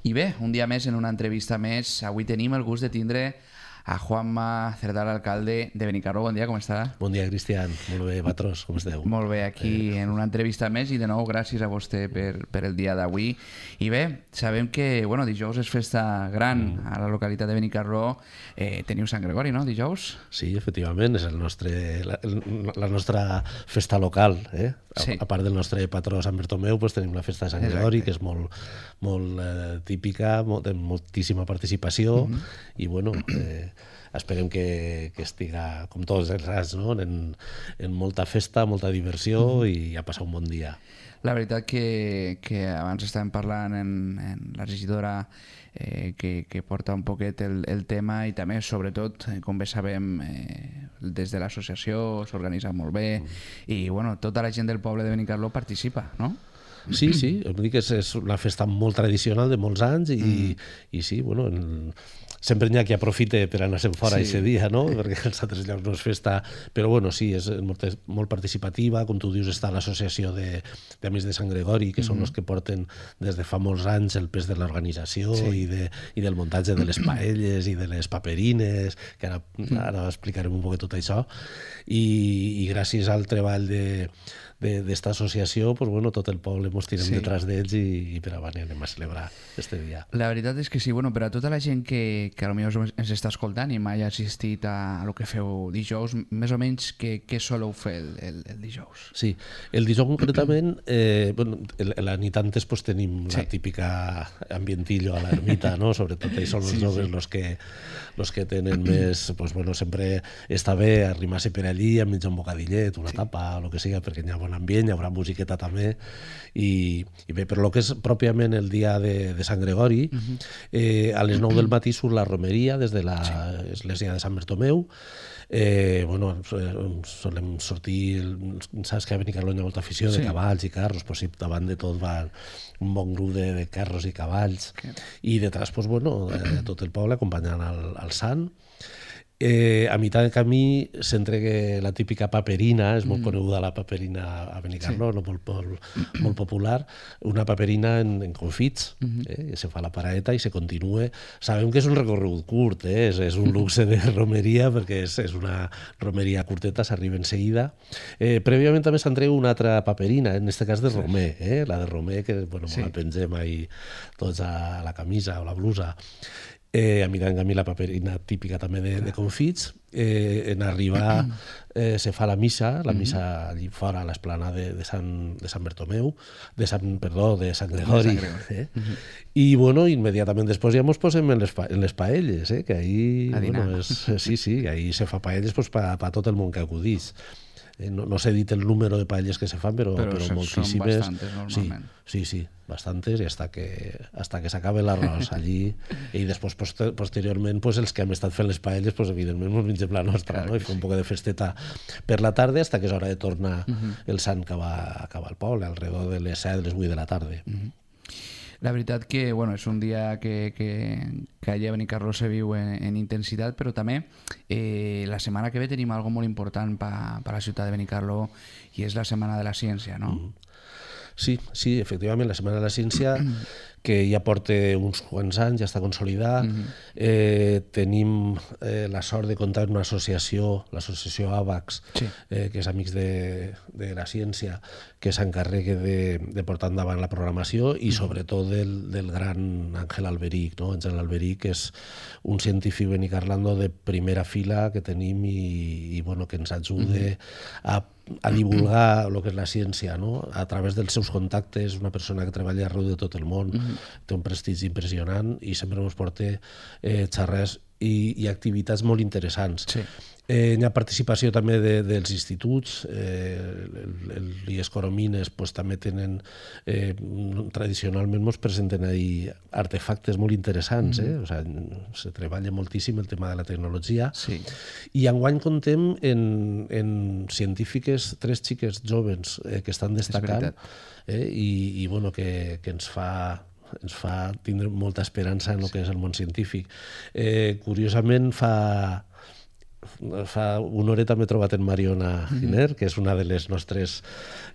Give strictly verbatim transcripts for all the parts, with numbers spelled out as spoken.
I bé, un dia més en una entrevista més. Avui tenim el gust de tindre a Juanma Cerdà, alcalde de Benicarló. Bon dia, com està? Bon dia, Cristian. Molt bé, patrós, com esteu? Molt bé, aquí eh. en una entrevista més i de nou gràcies a vostè per, per el dia d'avui. I bé, sabem que bueno, dijous és festa gran mm. a la localitat de Benicarló. Eh, teniu Sant Gregori, no, dijous? Sí, efectivament, és el nostre, la, la nostra festa local. Eh? A, sí. a part del nostre patró Sant Bartomeu, pues, tenim la festa de Sant Gregori, que és molt, molt eh, típica, molt, de moltíssima participació, mm-hmm. i bueno... Eh, esperem que, que estiga, com tots els anys, no? en, en molta festa, molta diversió mm-hmm. i a passar un bon dia. La veritat que, que abans estàvem parlant en, en la regidora eh, que, que porta un poquet el, el tema i també, sobretot, eh, com bé sabem, eh, des de l'associació s'organitza molt bé mm. i bueno, tota la gent del poble de Benicarló participa, no? Sí, sí, em dic que és, és una festa molt tradicional de molts anys i, mm. i sí, bueno... En, sempre n'hi ha qui aprofita per anar-se'n fora sí. aquest dia, no? Perquè els altres llocs no és festa, però bueno, sí, és molt, molt participativa, com tu dius, està l'associació d'Amics de, de Sant Gregori, que mm-hmm. són els que porten des de fa molts anys el pes de l'organització sí. i, de, i del muntatge de les paelles i de les paperines, que ara, ara explicarem un poc tot això, i, i gràcies al treball de d'esta associació, pues, bueno, tot el poble ens tirem sí. detrás d'ells i, i per avant anem a celebrar este dia. La veritat és que sí, bueno, per a tota la gent que, que potser ens està escoltant i mai ha assistit a, a lo que feu dijous, més o menys què, què soleu fer el, el, el dijous? Sí, el dijous concretament, eh, bueno, la nit antes pues, tenim sí. la típica ambientillo a l'ermita, no? Sobretot ells són els sí, joves sí. los que, los que tenen més, pues, bueno, sempre està bé arrimar-se per allí a menjar un bocadillet, una sí. tapa, o el que sigui, perquè hi ha bon ambient, hi haurà musiqueta també i, i bé, però el que és pròpiament el dia de, de Sant Gregori uh-huh. eh, a les nou del matí surt la romeria des de l'església de Sant Bartomeu. Eh, bueno, solem sortir, saps que a Benicarló hi ha molta afició de sí. cavalls i carros, pues, davant de tot va un bon grup de, de carros i cavalls okay. i detrás pues, bueno, eh, tot el poble acompanyant al, al sant. Eh, a mitjà de camí s'entregue la típica paperina, és molt mm. coneguda la paperina a Benicarló, sí. no? molt, molt, molt popular, una paperina en, en confits, mm-hmm. eh? se fa la paraeta i se continua. Sabem que és un recorregut curt, eh? és, és un luxe de romeria, perquè és, és una romeria curteta, s'arriba en seguida. Eh, prèviament també s'entrega una altra paperina, en aquest cas de romer, eh? la de romer, que bueno, sí. la pengem ahí tots a la camisa o la blusa. Eh, a mi a mi la paperina típica també de, de confits. Eh, en arribar eh, se fa la missa, la missa allí fora a l'esplanada de, de, Sant, de Sant Bartomeu, de Sant, perdó, de Sant Gregori. De Sant Gregori. Eh? Uh-huh. I bueno, immediatament després ja ens posem en les, en les paelles, eh? que ahí, bueno, és, sí, sí, ahí se fa paelles pues, per pa tot el món que acudís. Eh, no, no s'ha dit el número de paelles que se fan, però, però, però moltíssimes. Són bastantes, normalment. Sí, sí, sí, bastantes, i hasta que, hasta que s'acabe l'arròs allí. I després, poster, posteriorment, pues, els que hem estat fent les paelles, pues, evidentment, ens mengem la nostra, no? I fer un poc de festeta per la tarda, hasta que és hora de tornar uh-huh. el sant que va, que va al poble, alrededor de les set, les vuit de la tarda. Uh-huh. La veritat que bueno, és un dia que, que, que allà a Benicarló se viu en, en intensitat, però també eh, la setmana que ve tenim algo molt important per pa la ciutat de Benicarló i és la Setmana de la Ciència, no? Mm. Sí, sí, efectivament, la Setmana de la Ciència, que ja porta uns quants anys, ja està consolidada. Mm-hmm. Eh, tenim eh, la sort de comptar amb una associació, l'associació AVAX, sí. eh, que és Amics de, de la Ciència, que s'encarrega de, de portar endavant la programació i sobretot del, del gran Àngel Alberic. No? Àngel Alberic és un científic benicarlando de primera fila que tenim i, i bueno, que ens ajuda mm-hmm. a a divulgar el que és la ciència, no? A través dels seus contactes, una persona que treballa arreu de tot el món, mm-hmm. té un prestigi impressionant i sempre ens porta eh, xerrades i, i activitats molt interessants. Sí. Eh, hi ha participació també de, dels instituts, eh, l'I E S Coromines pues, també tenen, eh, tradicionalment ens presenten ahí artefactes molt interessants, eh? O sigui, se treballa moltíssim el tema de la tecnologia, sí. I enguany contem en, en científiques, tres xiques joves eh, que estan destacant eh, i, i bueno, que, que ens fa ens fa tindre molta esperança en el que és el món científic. Eh, curiosament, fa fa una horeta m'he trobat en Mariona Giner, que és una de les nostres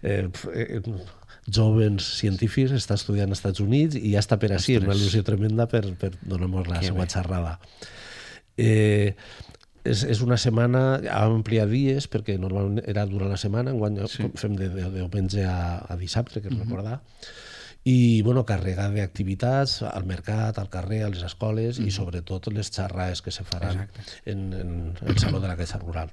eh, jóvens científics, està estudiant als Estats Units i ja està per així, una il·lusió tremenda per, per donar-nos la seva xerrada. Eh, és, és una setmana, vam ampliar dies perquè normalment era durant la setmana, enguany sí. fem de, de, de diumenge a, a dissabte, que és uh-huh. recordar, i bueno, carregar d'activitats al mercat, al carrer, a les escoles uh-huh. i sobretot les xerrades que se faran en, en el Saló de la Caixa Rural.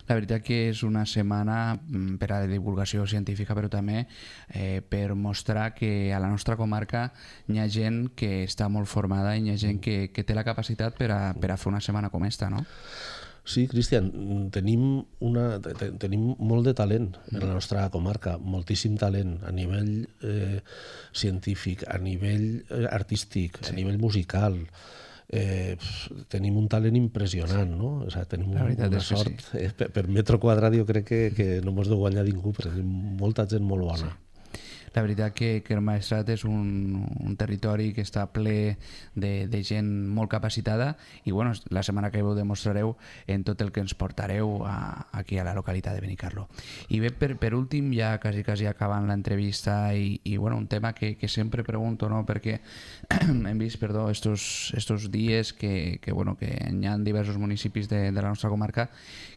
La veritat que és una setmana per a la divulgació científica, però també eh, per mostrar que a la nostra comarca hi ha gent que està molt formada i hi ha gent que, que té la capacitat per a, per a fer una setmana com esta, no? Sí, Cristian, tenim, una, tenim molt de talent en la nostra comarca, moltíssim talent a nivell eh, científic, a nivell artístic, sí. a nivell musical. Eh, tenim un talent impressionant, no? O sigui, tenim una sort. Sí. Eh, per, per metro quadrat jo crec que, que no mos deu guanyar ningú, perquè tenim molta gent molt bona. Sí. La veritat que, que el Maestrat és un, un territori que està ple de, de gent molt capacitada i bueno, la setmana que veu demostrareu en tot el que ens portareu a, aquí a la localitat de Benicarló. I bé, per, per últim, ja quasi, quasi acabant l'entrevista i, i bueno, un tema que, que sempre pregunto, no? Perquè hem vist, perdó, estos, estos dies que, que, bueno, que hi ha diversos municipis de, de la nostra comarca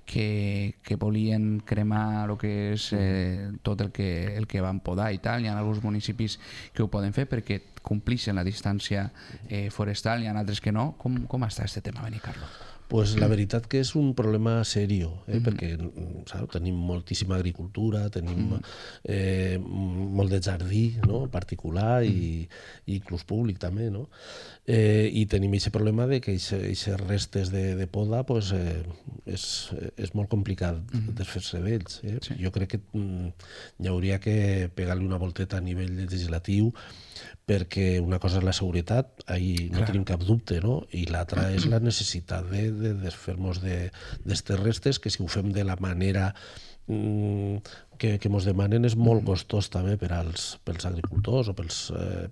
que, que volien cremar el que és eh, tot el que, el que van podar i tal. Hi ha alguns municipis que ho poden fer perquè complixen la distància eh, forestal, hi ha altres que no. Com, com està aquest tema, Benicarló? Pues la veritat que és un problema serio, eh? mm-hmm. perquè saps, tenim moltíssima agricultura, tenim mm-hmm. eh, molt de jardí, no? particular i, i inclús públic també, no? Eh, i tenim aquest problema de que aquestes restes de, de poda pues, eh, és, és molt complicat mm-hmm. desfer-se d'ells. Eh? Sí. Jo crec que mm, hi hauria que pegar-li una volteta a nivell legislatiu perquè una cosa és la seguretat, ahí no Clar. tenim cap dubte, no? I l'altra és la necessitat de, de desfer-nos d'aquestes restes, que si ho fem de la manera mm, que, que mos demanen és molt costós també per als, pels agricultors o, pels, eh,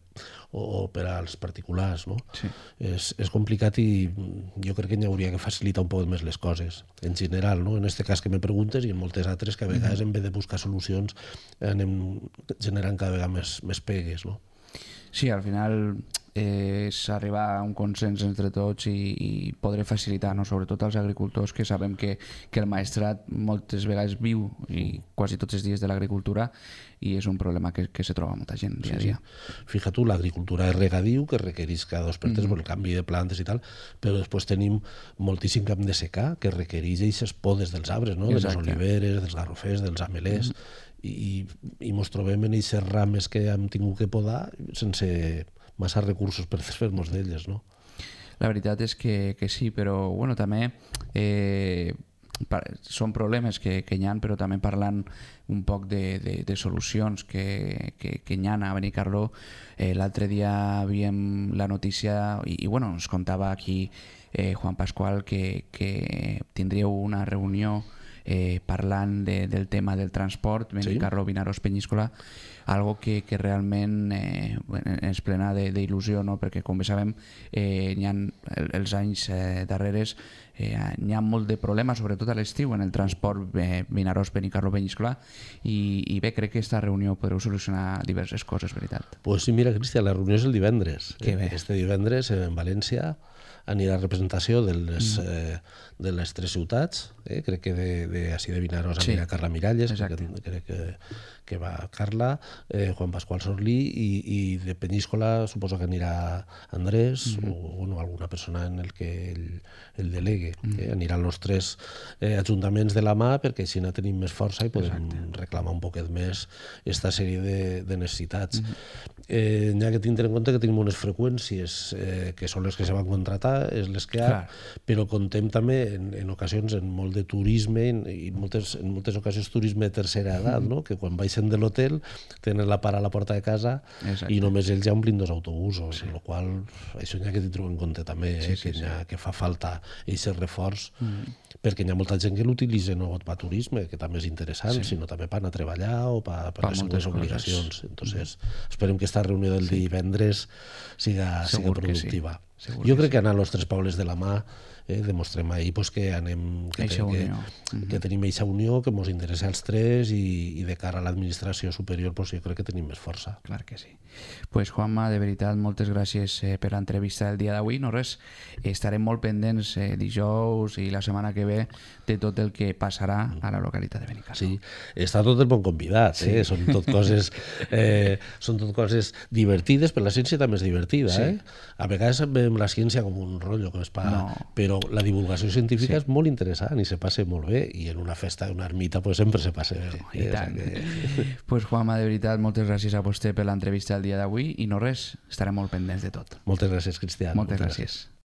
o, o per als particulars, no? Sí. És, és complicat i jo crec que n'hi hauria que facilitar un poc més les coses, en general, no? En aquest cas que me preguntes i en moltes altres que a vegades en vez de buscar solucions anem generant cada vegada més, més pegues, no? Sí, al final eh, és arribar a un consens entre tots i, i poder facilitar, no? Sobretot als agricultors, que sabem que, que el Maestrat moltes vegades viu i quasi tots els dies de l'agricultura i és un problema que, que se troba molta gent dia a dia. Sí, sí. Fija tu, l'agricultura és regadiu, que requereix cada dos per tres mm-hmm. el canvi de plantes i tal, però després tenim moltíssim camp de secà que requereix aquestes podes dels arbres, no? De les oliveres, dels garrofers, dels amelers, mm-hmm. i, i mos trobem en aquestes rames que hem tingut que podar sense massa recursos per fer-nos d'elles, no? La veritat és que, que sí, però bueno, també eh, són problemes que, que hi ha, però també parlant un poc de, de, de solucions que, que, que hi ha a Benicarló. Eh, l'altre dia havíem la notícia i, i bueno, ens contava aquí eh, Juan Pascual que, que tindríeu una reunió Eh, parlant de, del tema del transport, Benicarló, sí. Vinaròs, Penyíscola, algo que, que realment eh, ens plena d'il·lusió, no? Perquè com bé sabem eh, hi ha, els anys eh, darreres eh, hi ha molt de problemes, sobretot a l'estiu, en el transport eh, Vinaròs, Benicarló, Penyíscola i, i bé, crec que aquesta reunió podreu solucionar diverses coses, veritat. Pues sí, mira, Cristian, la reunió és el divendres. Que bé. Este divendres en València anirà a representació de les, mm. eh, de les tres ciutats, eh? Crec que de, de, així de Vinaròs sí. anirà Carla Miralles, crec, crec que, que va Carla, eh, Juan Pascual Sorlí i, i de Penyíscola suposo que anirà Andrés mm. o bueno, alguna persona en el que el, el delegue. Mm. Eh? Aniran els tres eh, ajuntaments de la mà perquè així no tenim més força i podem Exacte. reclamar un poquet més aquesta sèrie de, de necessitats. Mm. Eh, n'hi ha que tindre en compte que tenim unes freqüències eh, que són les que se van contratar, és les que hi ha, Clar. però contem també en, en ocasions en molt de turisme i moltes, en moltes ocasions turisme de tercera edat, no? Que quan baixen de l'hotel tenen la para a la porta de casa Exacte. i només ells ja omplin dos autobusos, sí. amb la qual això n'hi ha que tindre en compte també, eh? sí, sí, que, sí. ha, que fa falta aquest reforç, mm. perquè hi ha molta gent que l'utilitza no per turisme, que també és interessant, sí. sinó també per anar a treballar o per, per, per les seves obligacions. Entonces, mm. esperem que aquesta reunió del sí. divendres siga, siga productiva. Segur jo que crec sí. que anar a los tres pobles de la mà eh, demostrem ahir pues, que anem que, Eixa que, unió. que, que tenim eixa unió, que ens interessa als tres i, i de cara a l'administració superior pues, jo crec que tenim més força. Clar que sí. Pues Juanma, de veritat, moltes gràcies eh, per l'entrevista del dia d'avui. No res, estarem molt pendents eh, dijous i la setmana que ve de tot el que passarà a la localitat de Benicarló. Sí, està tot el bon convidat, eh? Són tot coses eh, són tot coses divertides, però la ciència també és divertida, Sí. eh? A vegades veiem la ciència com un rotllo que es pa, No. però la divulgació científica Sí. és molt interessant i se passa molt bé, i en una festa d'una ermita pues, sempre se passa bé. I eh? tant. O sea que... Pues Juanma, de veritat, moltes gràcies a vostè per l'entrevista del dia d'avui i no res, estarem molt pendents de tot. Moltes gràcies, Cristian. Moltes gràcies.